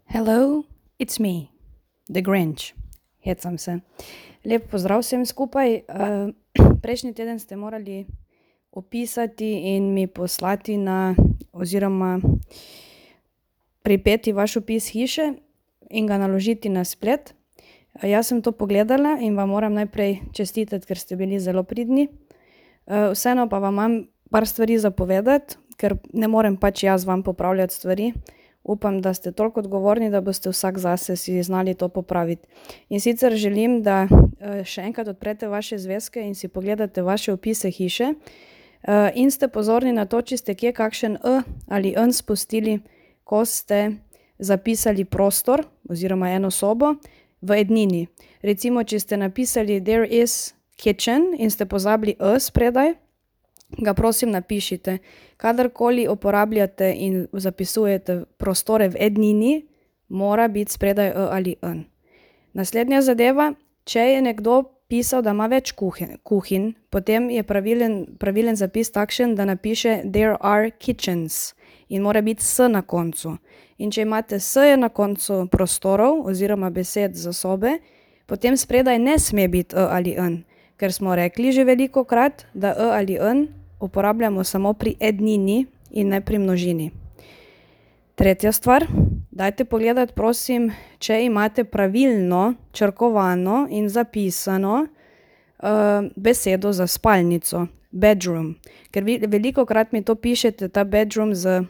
Hello, it's me, The Grinch. Hecam se. Lep pozdrav vsem skupaj. Prejšnji teden ste morali opisati in mi poslati oziroma pripeti vaš opis hiše in ga naložiti na splet. Jaz sem to pogledala in vam moram najprej čestitati, ker ste bili zelo pridni. Vseeno pa vam imam par stvari za povedati, ker ne morem pač jaz vam popravljati stvari. Upam, da ste toliko odgovorni, da boste vsak zase si znali to popraviti. In sicer želim, da še enkrat odprete vaše zvezke in si pogledate vaše opise hiše in ste pozorni na to, če ste kje kakšen ali n spustili, ko ste zapisali prostor oziroma eno sobo v ednini. Recimo, če ste napisali there is kitchen in ste pozabili spredaj, ga prosim napišite. Kadarkoli uporabljate in zapisujete prostore v ednini, mora biti spredaj ali n. Naslednja zadeva, če je nekdo pisal, da ima več kuhinj, potem je pravilen zapis takšen, da napiše there are kitchens in mora biti s na koncu. In če imate s na koncu prostorov oziroma besed za sobe, potem spredaj ne sme biti ali n, ker smo rekli že velikokrat, da ali n uporabljamo samo pri ednini in ne pri množini. Tretja stvar, dajte pogledati prosim, če imate pravilno črkovano in zapisano besedo za spalnico, bedroom. Ker vi velikokrat mi to pišete, ta bedroom z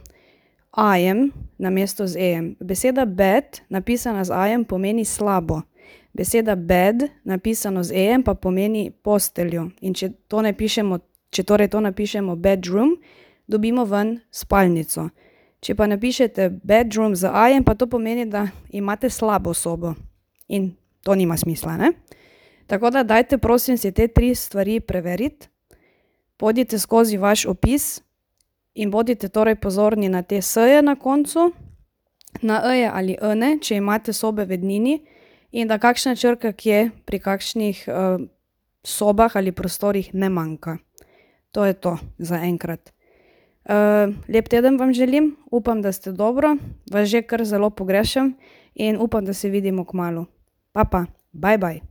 I-jem namesto z e-jem. Beseda bed napisana z I-jem pomeni slabo. Beseda bed napisano z e-jem pa pomeni posteljo. In če torej to napišemo bedroom, dobimo ven spalnico. Če pa napišete bedroom z I-jem, pa to pomeni, da imate slabo sobo. In to nima smisla, ne? Tako da dajte prosim si te 3 stvari preveriti. Pojdite skozi vaš opis in bodite torej pozorni na te s-je na koncu, na e-je ali n-e, če imate sobe v ednini, in da kakšna črka kje pri kakšnih sobah ali prostorih ne manjka. To je to za enkrat. Lep teden vam želim, upam, da ste dobro, vas že kar zelo pogrešam in upam, da se vidimo kmalu. Pa, bye bye.